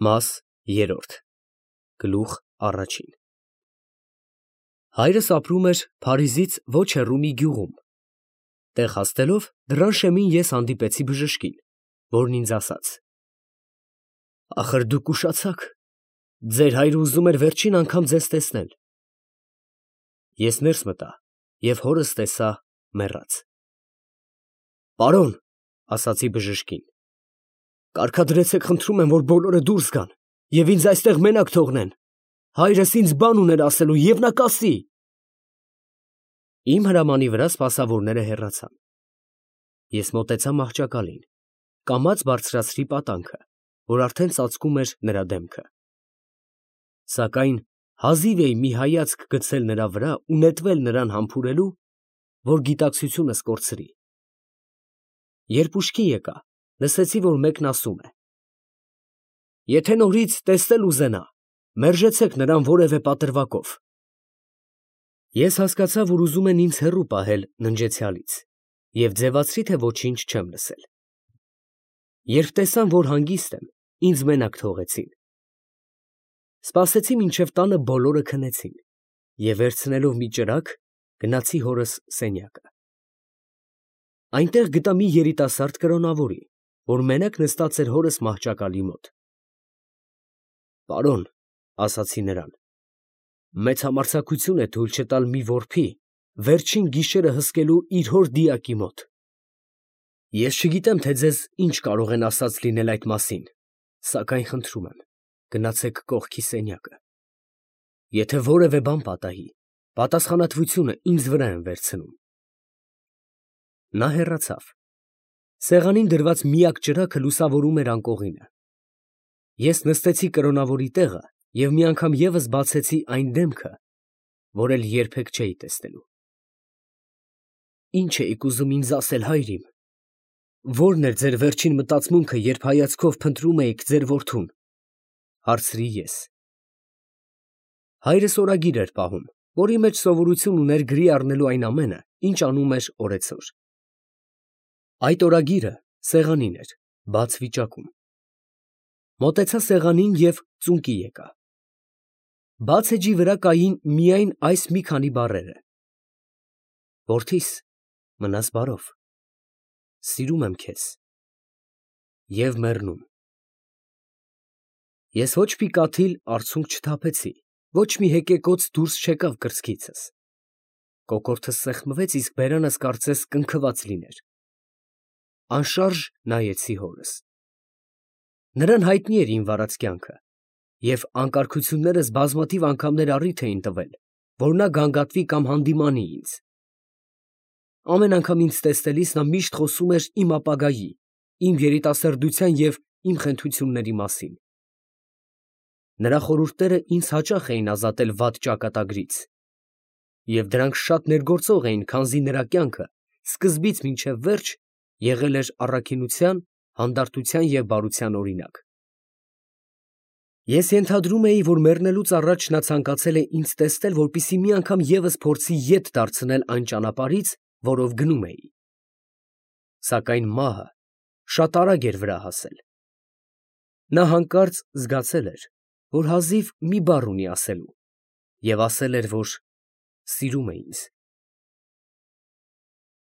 Մաս երրորդ Գլուխ առաջին Հայրս ապրում էր Փարիզից ոչ հեռու մի գյուղում։ Տեղ հասնելով դռան շեմին ես հանդիպեցի բժշկին, որն ինձ ասաց. «Ախր դուք ուշացաք, ձեր հայրը ուզում էր վերջին անգամ ձեզ տեսնել»։ Ես ներս մտա և հորս տեսա մեռած։ «Պարոն, ֊ ասացի բժշկին, ֊ կարգադրեցեք, խնդրում եմ, որ բոլորը դուրս գան և ինձ այստեղ մենակ թողնեն. հայրս ինձ բան ուներ ասելու և նա կասի»։ Իմ հրամանի վրա սպասավորները հեռացան։ Ես մոտեցա մահճակալին, կամաց բարձրացրի պատանքը, որ արդեն ծածկում էր նրա դեմքը։ Սակայն հազիվ էի մի հայացք գցել նրա վրա ու նետվել նրան համբուրելու, որ գիտակցությունս կորցրի։ Երբ ուշքի եկա, լսեցի, որ մեկն ասում է. «Եթե նորից տեսնել ուզենա, մերժեցեք նրան որևէ պատրվակով»։ Ես հասկացա, որ ուզում են ինձ հեռու պահել ննջեցյալից և ձևացրի, թե ոչինչ չեմ լսել։ Երբ տեսան, որ հանգիստ եմ, ինձ մենակ թողեցին։ Սպասեցի, մինչև տանը բոլորը քնեցին և վերցնելով մի ճրագ, գնացի հորս սենյակը։ Այնտեղ գտա մի երիտասարդ կրոնավորի, որ մենակ նստած էր հորս մահճակալի մոտ։ «Պարոն, ֊ ասացի նրան, ֊ մեծ համարձակություն է թույլ չտալ մի որբի վերջին գիշերը հսկելու իր հոր դիակի մոտ։ Ես չգիտեմ, թե ձեզ ինչ կարող են ասած լինել այդ մասին, սակայն խնդրում եմ, գնացեք կողքի սենյակը։ Եթե որևէ բան պատահի, պատասխանատվությունը ինձ վրա եմ վերցնում»։ Նա հեռացավ։ Սեղանին դրված միակ ճրագը լուսավորում էր անկողինը։ Ես նստեցի կրոնավորի տեղը և մի անգամ ևս բացեցի այն դեմքը, որ էլ երբեք չէի տեսնելու։ «Ի՞նչ էիք ուզում ինձ ասել, հայր իմ, ո՞րն էր ձեր վերջին մտածմունքը, երբ հայացքով փնտրում էիք ձեր որդուն», ֊ հարցրի ես։ Հայրս օրագիր էր պահում, որի մեջ սովորություն ուներ գրի առնելու այն ամենը, ինչ անում էր օրեցօր։ Այդ օրագիրը սեղանին էր, բաց վիճակում։ Մոտեցա սեղանին և ծունկի եկա։ Բաց էջի վրա կային միայն այս մի քանի բառերը. «Որդիս, մնաս բարով, սիրում եմ քեզ» և մեռնում։ Ես ոչ մի կաթիլ արցունք չթափեցի, ոչ մի հեկեկոծ դուրս չեկավ կրծքիցս։ Կոկորդս սեղմվեց, իսկ բերանս կարծես կնքված լիներ։ Անշարժ նայեցի հորս։ Նրան հայտնի էր իմ վարած կյանքը, և անկարգություններս բազմաթիվ անգամներ առիթ էին տվել, որ նա գանգատվի կամ հանդիմանի ինձ։ Ամեն անգամ ինձ տեսնելիս նա միշտ խոսում էր իմ ապագայի, իմ երիտասարդության և իմ խենթությունների մասին։ Նրա խորհուրդները ինձ հաճախ էին ազատել վատ ճակատագրից, և դրանք շատ ներգործող էին, քանզի նրա կյանքը սկզբից մինչև վերջ եղել էր առաքինության, հանդարտության և բարության օրինակ։ Ես ենթադրում էի, որ մեռնելուց առաջ նա ցանկացել է ինձ տեսնել, որպեսզի մի անգամ ևս փորձի ետ դարձնել այն ճանապարհից, որով գնում էի։ Սակայն մահը շատ արագ էր վրա հասել։ Նա հանկարծ զգացել էր, որ հազիվ մի բառ ունի ասելու, և ասել էր, որ սիրում է ինձ։